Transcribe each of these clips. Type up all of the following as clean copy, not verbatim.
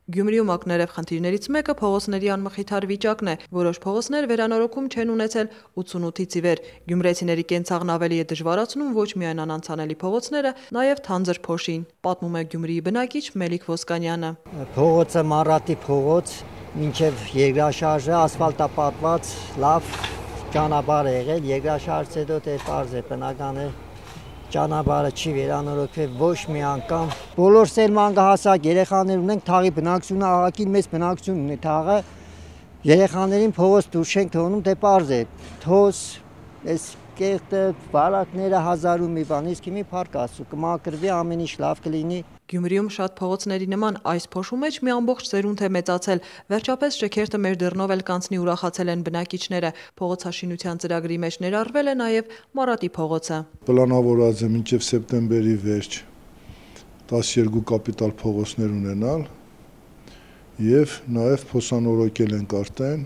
Գյումրիում ակներև խնդիրներից մեկը փողոցների անմխիթար վիճակն է, որոշ փողոցներ վերանորոգում չեն ունեցել 88-ից ի վեր։ Գյումրեցիների կենցաղն ավելի է դժվարացնում ոչ միայն անանցանելի փողոցները, նաև թանձր փոշին, պատմում է Գյումրիի բնակիչ Մելիք Ոսկանյանը։ Փողոցը Մարատի փողոց, մինչև երկրաշարժը ասֆալտապատված լավ ճանապարհ է եղել, երկրաշարժից հետո դե պարզ է, բնական է ճանապարհը չի վերանորոգվել ոչ մի անգամ։ Բոլորս էլ մանկահասակ երեխաներ ունենք, թաղի բնակչությունը աղաքին մեծ բնակչություն ունի, թաղը երեխաներին փողոց դուրս չենք թողնում, դե պարզ է, թոս, այս կեղտը, վարակները հազար ու մի բան, իսկ մի փառք Աստծո, կմաքրվի, ամեն ինչ լավ կլինի։ Գյումրիում շատ փողոցների նման այս փոշու մեջ մի ամբողջ սերունդ է մեծացել։ Վերջապես շքերթը մեր դռնով էլ կանցնի ուրախացել են բնակիչները։ Փողոցաշինության ծրագրի մեջ ներառվել է նաև Մարատի փողոցը։ Պլանավորված է մինչև սեպտեմբերի վերջ 12 կապիտալ փողոցներ ունենալ եւ նաև փոսանորոգել ենք արդեն։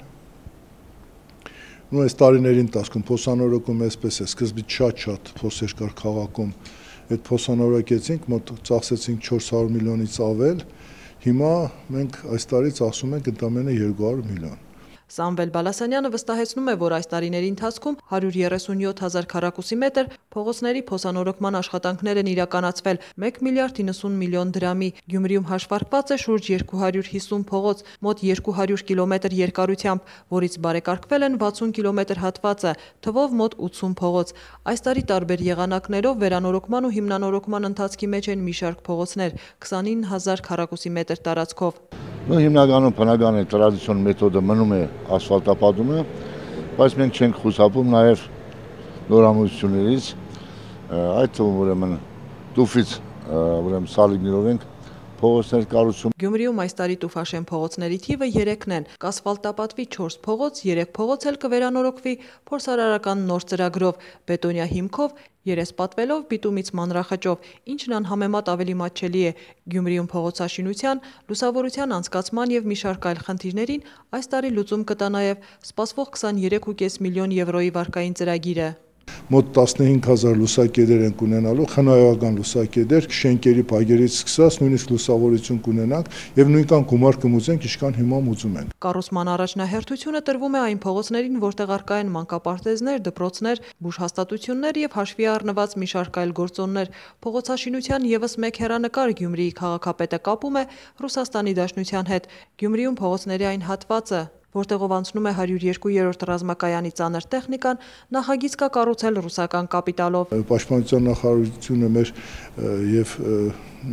Այս տարիների ընթացքում փոսանորոգում այսպես է, սկզբից շատ փոսեր կար քաղաքում, այդ փոսանորոգեցինք, մոտ ծախսեցինք 400 միլիոնից ավել, հիմա մենք այս տարի ծախսում ենք ընդամենը 200 միլիոն։ Սամվել Բալասանյանը վստահեցնում է, որ այս տարիների ընթացքում 137,000 քառակուսի մետր փողոցների փոսանորոգման աշխատանքներ են իրականացվել 1 միլիարդ 90 միլիոն դրամի։ Գյումրիում հաշվարկված է շուրջ 250 փողոց, մոտ 200 կիլոմետր երկարությամբ, որից բարեկարգվել են 60 կիլոմետր հատվածը, թվով մոտ 80 փողոց։ Այս տարի տարբեր եղանակներով վերանորոգման ու հիմնանորոգման ընթացքի մեջ են մի շարք փողոցներ 29,000 քառակուսի մետր տարածքով։ Հիմնականում բնական է տրադիցիոն մեթոդը մնում է ասֆալտապատումը, բայց մենք չենք խուսափում նաև նորամուծություններից, այդ թվում ուրեմն տուֆից սալիկներով ենք փողոցներ կառուցում։ Գյումրիում այս տարի տուֆաշեն փողոցների թիվը 3-ն են, կասֆալտապատվի 4 փողոց, 3 փողոց էլ կվերանորոգվի փորձարարական նոր ծրագրով, բետոնյա հիմքով, երեսպատվելով, բիտումից մանրախճով, ինչն անհամեմատ ավելի մատչելի է։ Գյումրիում փողոցաշինության, լուսավորության անցկացման եւ մի շարք այլ խնդիրներին այս տարի լուծում կտա նաեւ սպասվող 23.5 միլիոն եվրոյի վարկային ծրագիրը։ Մոտ 15,000 լուսակետեր ենք ունենալու, խնայողական լուսակետեր, շենքերի փագերից սկսած նույնիսկ լուսավորություն կունենանք եւ նույնքան գումար կմուծենք, ինչքան հիմա մուծում ենք։ Կառուցման առաջնահերթությունը տրվում է այն փողոցներին, որտեղ առկա են մանկապարտեզներ, դպրոցներ, բուժհաստատություններ եւ հաշվի առնված մի շարք այլ գործոններ։ Փողոցաշինության եւս մեկ հեռանկար Գյումրիի քաղաքապետը կապում է Ռուսաստանի Դաշնության հետ։ Գյումրիում փողոցների այն հատվածը, որտեղով անցնում է 102-րդ ռազմակայանի ծանր տեխնիկան, նախագիծ կա կառուցել ռուսական կապիտալով։ Պաշտպանության նախարարությունը մեր եւ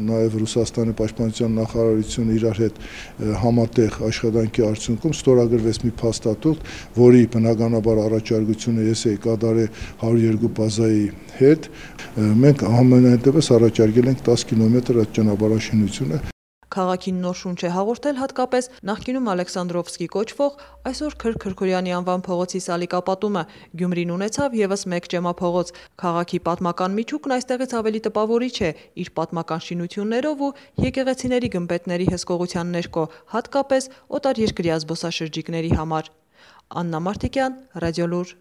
նաև Ռուսաստանի պաշտպանության նախարարությունը իրար հետ համատեղ աշխատանքի արդյունքում ստորագրվեց մի փաստաթուղթ, որի բնականաբար առաջարկությունը ես էի կատարել 102 բազայի հետ։ Մենք համենայնդեպս առաջարկել ենք 10 կիլոմետր այդ ճանապարհաշինությունը։ Քաղաքին նոր շունչ է հաղորդել հատկապես նախկինում Ալեքսանդրովսկի կոչվող, այսօր Քրքրքորյանի անվան փողոցի սալիկապատումը։ Գյումրին ունեցավ եւս մեկ ջեմափողոց։ Քաղաքի պատմական միջուկն այստեղից ավելի տպավորիչ է իր պատմական շինություններով ու եկեղեցիների գմբեթների հսկողության ներքո, հատկապես օտարերկրյա զբոսաշրջիկների համար։ Աննա Մարտիկյան, Ռադիոլուր։